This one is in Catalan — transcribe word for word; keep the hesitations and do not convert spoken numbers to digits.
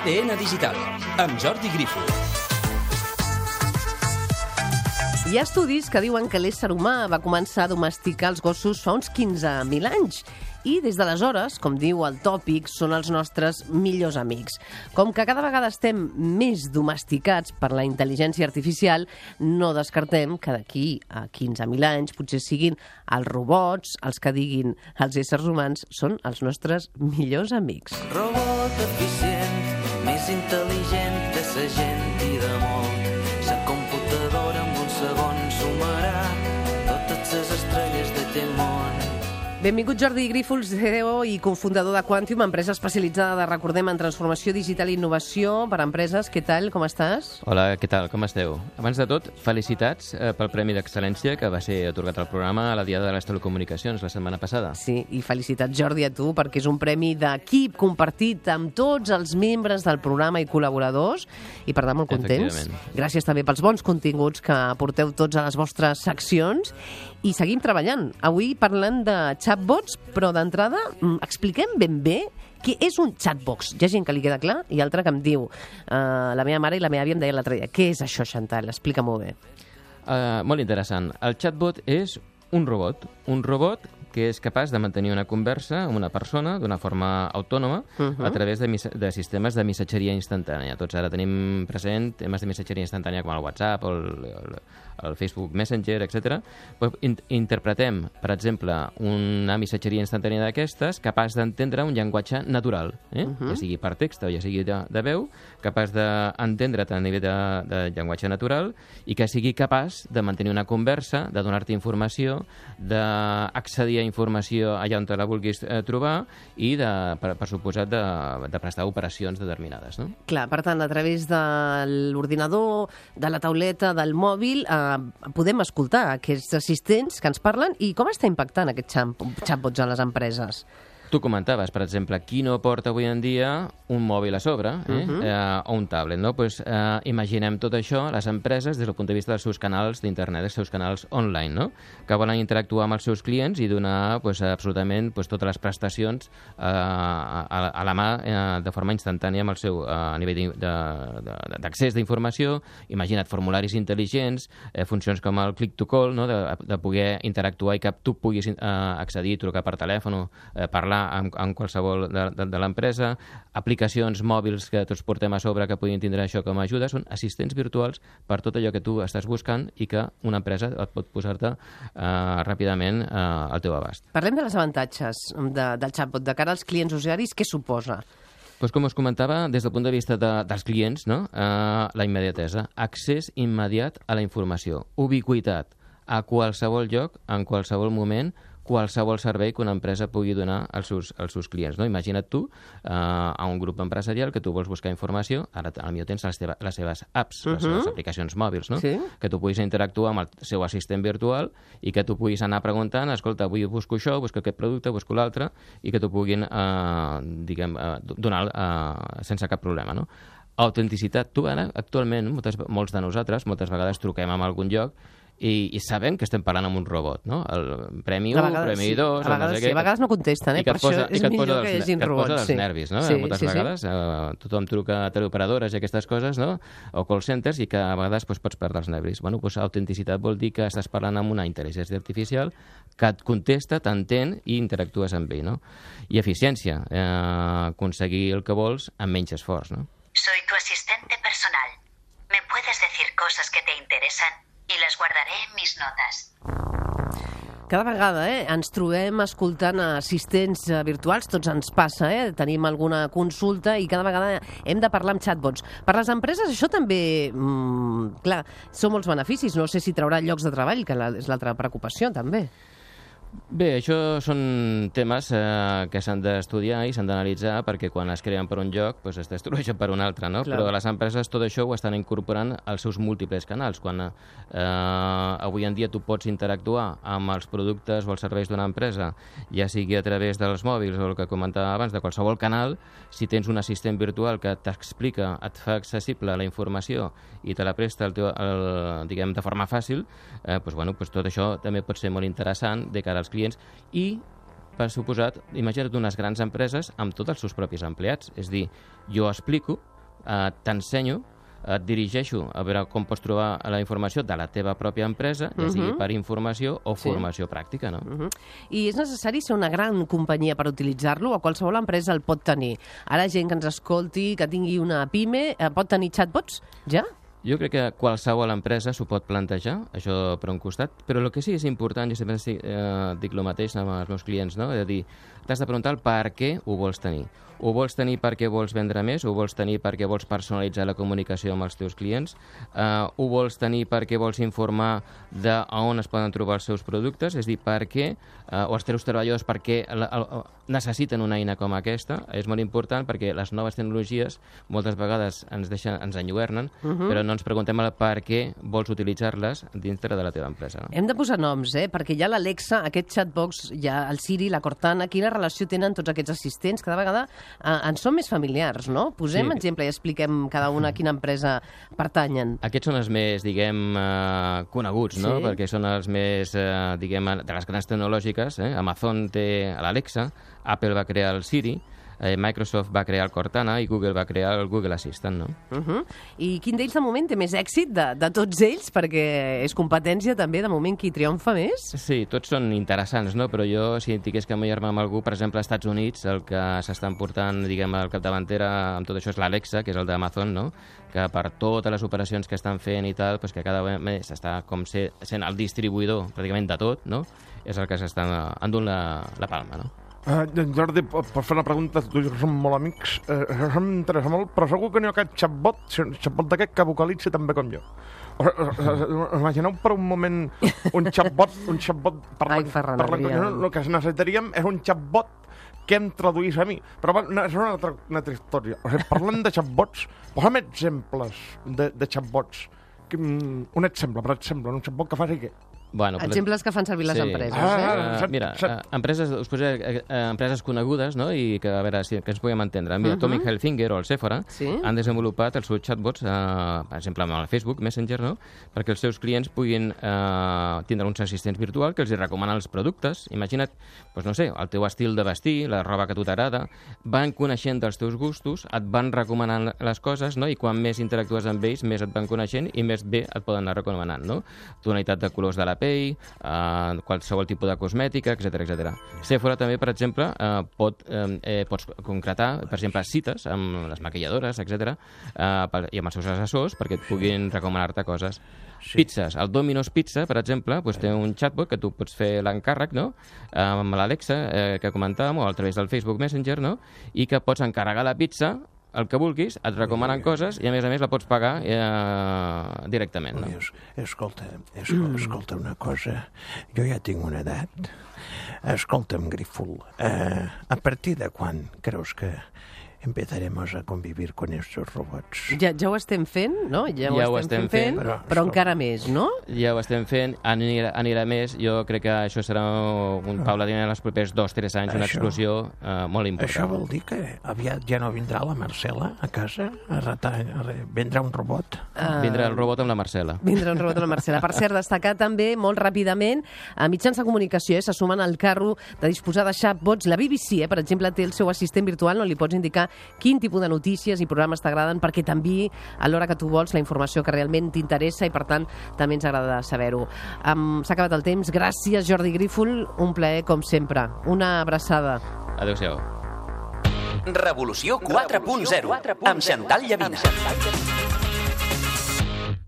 T N Digital, amb Jordi Grífols. Hi ha estudis que diuen que l'ésser humà va començar a domesticar els gossos fa uns quinze mil anys i des d'aleshores, com diu el tòpic, són els nostres millors amics. Com que cada vegada estem més domesticats per la intel·ligència artificial, no descartem que d'aquí a quinze mil anys potser siguin els robots els que diguin els éssers humans són els nostres millors amics. Robot eficient, més intel·ligent que sa gent i de molt. Sa computadora en un segon sumarà totes les estrelles d'aquest món. Benvingut Jordi Grífols, C E O i cofundador de Quantium, empresa especialitzada, recordem, en transformació digital i innovació per a empreses. Què tal, com estàs? Hola, què tal, com esteu? Abans de tot, felicitats eh, pel Premi d'Excel·lència que va ser atorgat al programa a la Diada de les Telecomunicacions la setmana passada. Sí, i felicitats, Jordi, a tu, perquè és un premi d'equip compartit amb tots els membres del programa i col·laboradors, i per tant molt contents. Gràcies també pels bons continguts que aporteu tots a les vostres seccions, i seguim treballant. Avui parlant de chatbots, però d'entrada expliquem ben bé què és un chatbox. Hi ha gent que li queda clar i altra que em diu, uh, la meva mare i la meva àvia em deien l'altre dia, què és això, Chantal? Explica-m'ho bé. Uh, molt interessant. El chatbot és un robot, un robot que és capaç de mantenir una conversa amb una persona d'una forma autònoma uh-huh. a través de, de sistemes de missatgeria instantània. Tots ara tenim present temes de missatgeria instantània com el WhatsApp o el, el, el Facebook Messenger, etcètera. In, interpretem, per exemple, una missatgeria instantània d'aquestes capaç d'entendre un llenguatge natural, eh? uh-huh. ja sigui per text o ja sigui de, de veu, capaç d'entendre't a nivell de, de llenguatge natural i que sigui capaç de mantenir una conversa, de donar-te informació, d'accedir a informació allà on te la vulguis eh, trobar i, de, per, per suposat, de, de prestar operacions determinades. No? Clar, per tant, a través de l'ordinador, de la tauleta, del mòbil, eh, podem escoltar aquests assistents que ens parlen. I com està impactant aquest chatbots a les empreses? Tu comentaves, per exemple, qui no porta avui en dia un mòbil a sobre eh? uh-huh. eh, o un tablet, no? Pues, eh, imaginem tot això, les empreses, des del punt de vista dels seus canals d'internet, dels seus canals online, no? Que volen interactuar amb els seus clients i donar pues, absolutament pues, totes les prestacions eh, a, a la mà eh, de forma instantània amb el seu eh, a nivell d'accés d'informació. Imagina't formularis intel·ligents, eh, funcions com el click to call, no? de, de poder interactuar i que tu puguis eh, accedir, trucar per telèfon, eh, parlar amb, amb qualsevol de, de, de l'empresa, aplicacions mòbils que tots portem a sobre que puguin tindre això com a ajuda, són assistents virtuals per tot allò que tu estàs buscant i que una empresa et pot posar-te eh, ràpidament eh, al teu abast. Parlem de les avantatges de, del chatbot de cara als clients usuaris. Què suposa? Pues com us comentava, des del punt de vista de, dels clients, no? eh, la immediatesa, accés immediat a la informació, ubiquitat a qualsevol lloc, en qualsevol moment, qualsevol servei que una empresa pugui donar als seus, als seus clients. No? Imagina't tu eh, a un grup empresarial que tu vols buscar informació, ara potser tens les, teva, les seves apps, uh-huh. les seves aplicacions mòbils, no? Sí. Que tu puguis interactuar amb el seu assistent virtual i que tu puguis anar preguntant, escolta, avui busco això, busco aquest producte, busco l'altre, i que t'ho puguin eh, diguem, eh, donar eh, sense cap problema. No? Autenticitat. Tu ara, actualment, moltes, molts de nosaltres, moltes vegades truquem a algun lloc I, i sabem que estem parlant amb un robot, no? El premi u, premi dos... A vegades, no sé sí, a vegades no contesten, eh? Per això és millor que hi hagin robots. I que et posa dels nervis, no? Sí, moltes sí, vegades sí. Eh, tothom truca a teleoperadores i aquestes coses, no? O call centers, i que a vegades pues, pots perdre els nervis. Bueno, pues, autenticitat vol dir que estàs parlant amb una intel·ligència artificial que et contesta, t'entén i interactues amb ell, no? I eficiència, eh, aconseguir el que vols amb menys esforç, no? Soy tu asistente personal. ¿Me puedes decir cosas que te interesan? I les guardaré en mis notes. Cada vegada eh, ens trobem escoltant assistents virtuals, tots ens passa, eh? Tenim alguna consulta i cada vegada hem de parlar amb chatbots. Per les empreses això també, mmm, clar, són molts beneficis. No sé si traurà llocs de treball, que és l'altra preocupació també. Bé, això són temes eh, que s'han d'estudiar i s'han d'analitzar perquè quan es creen per un lloc pues, es destrueixen per un altre, no? Clar. Però les empreses tot això ho estan incorporant als seus múltiples canals. Quan eh, avui en dia tu pots interactuar amb els productes o els serveis d'una empresa, ja sigui a través dels mòbils o el que comentava abans, de qualsevol canal, si tens un assistent virtual que t'explica, et fa accessible la informació i te la presta el teu, el, diguem, de forma fàcil, eh, pues, bueno, pues, tot això també pot ser molt interessant de cara als clients i, per suposat, imagina't unes grans empreses amb tots els seus propis empleats. És dir, jo explico, eh, t'ensenyo, et dirigeixo a veure com pots trobar la informació de la teva pròpia empresa, ja sigui Mhm. per informació o Sí. formació pràctica, no? Uh -huh. I és necessari ser una gran companyia per utilitzar-lo o qualsevol empresa el pot tenir? Ara gent que ens escolti, que tingui una pime, eh, pot tenir chatbots ja? Jo crec que qualsevol empresa s'ho pot plantejar, això per un costat, però el que sí és important, jo sempre eh, dic el mateix amb els meus clients, no? És a dir, t'has de preguntar el per què ho vols tenir. Ho vols tenir perquè vols vendre més, ho vols tenir perquè vols personalitzar la comunicació amb els teus clients, uh, ho vols tenir perquè vols informar de on es poden trobar els seus productes, és a dir, per què, uh, o els teus treballadors perquè la, el, necessiten una eina com aquesta. És molt important perquè les noves tecnologies moltes vegades ens deixen, ens enlluernen, uh -huh. però no ens preguntem el per què vols utilitzar-les dintre de la teva empresa. No? Hem de posar noms, eh? Perquè hi ha l'Alexa, aquest chatbox, hi ha el Siri, la Cortana. Quina relació tenen tots aquests assistents? Cada vegada eh, ens són més familiars, no? Posem Sí. exemple i expliquem cada una a quina empresa pertanyen. Aquests són els més, diguem, eh, coneguts, no? Sí. Perquè són els més, eh, diguem, de les grans tecnològiques. Eh? Amazon té l'Alexa, Apple va crear el Siri, eh, Microsoft va crear el Cortana i Google va crear el Google Assistant, no? Uh -huh. I quin d'ells de moment té més èxit de, de tots ells? Perquè és competència també, de moment, qui triomfa més? Sí, tots són interessants, no? Però jo, si tingués que mullar-me amb algú, per exemple, als Estats Units, el que s'estan portant, diguem, al capdavantera amb tot això és l'Alexa, que és el d'Amazon, no? Que per totes les operacions que estan fent i tal, pues que cada vegada més està com ser, sent el distribuïdor pràcticament de tot, no? És el que s'està endunt la, la palma, no? Uh, Jordi, per fer una pregunta, tu i jo som molt amics, uh, això m'interessa molt, però segur que n'hi ha aquest xatbot, xatbot d'aquest que vocalitza també com jo. Uh, uh, uh, imagineu per un moment un xatbot, un xatbot Ai, Ferran Adrià. no, el que necessitaríem és un xatbot que em traduís a mi. Però va, no, és una altra, una altra història. O sigui, parlant de xatbots, posa'm exemples de, de xatbots. Que, um, un exemple, per exemple, un xatbot que faci què? Bueno, Exemples que fan servir les sí. empreses, Ah, eh? Uh, set- mira, set- uh, empreses, us posaré uh, empreses conegudes, no? I que a veure si que ens puguem entendre. Mira, Mhm. Tommy Hilfiger o el Sephora Sí. han desenvolupat els seus chatbots, uh, per exemple, amb el Facebook Messenger, no? Perquè els seus clients puguin uh, tindre uns assistents virtuals que els hi recomanen els productes. Imagina't, doncs no sé, el teu estil de vestir, la roba que a tu t'agrada, van coneixent els teus gustos, et van recomanant les coses, no? I quan més interactues amb ells, més et van coneixent i més bé et poden anar recomanant, no? Tonalitat de colors de la pell, uh, qualsevol tipus de cosmètica, etcètera, etcètera. Sephora també, per exemple, eh, pot, eh, eh, pots concretar, per exemple, cites amb les maquilladores, etcètera, eh, per, i amb els seus assessors perquè et puguin recomanar-te coses. Sí. Pizzas. El Domino's Pizza, per exemple, doncs, té un chatbot que tu pots fer l'encàrrec, no?, amb l'Alexa, eh, que comentàvem, o a través del Facebook Messenger, no?, i que pots encarregar la pizza el que vulguis, et recomanen coses i a més a més la pots pagar eh, directament. No? Es, escolta, escolta, escolta una cosa, jo ja tinc una edat. Escolta'm, Grífol, eh, a partir de quan creus que empezaremos a convivir con estos robots? Ja, ja ho estem fent, no? Ja, Ja ho estem, fent, fent, però, però encara més, no? Ja ho estem fent, anirà, anirà més. Jo crec que això serà un paulatina en els propers dos o tres anys, una Això- explosió eh, molt important. Això vol dir que aviat ja no vindrà la Marcela a casa a, retar, a re- vindrà un robot? Uh, Vindrà el robot amb la Marcela. Vindrà un robot a la Marcela. Per cert, destacar també, molt ràpidament, a mitjans de comunicació, eh, se sumen al carro de disposar de chatbots. La B B C, eh, per exemple, té el seu assistent virtual, on li pots indicar quin tipus de notícies i programes t'agraden perquè t'enviï a l'hora que tu vols la informació que realment t'interessa i, per tant, també ens agrada saber-ho. Um, S'ha acabat el temps. Gràcies, Jordi Grífol. Un plaer, com sempre. Una abraçada. Adéu-siau. Revolució quatre punt zero amb Xantal Llavina.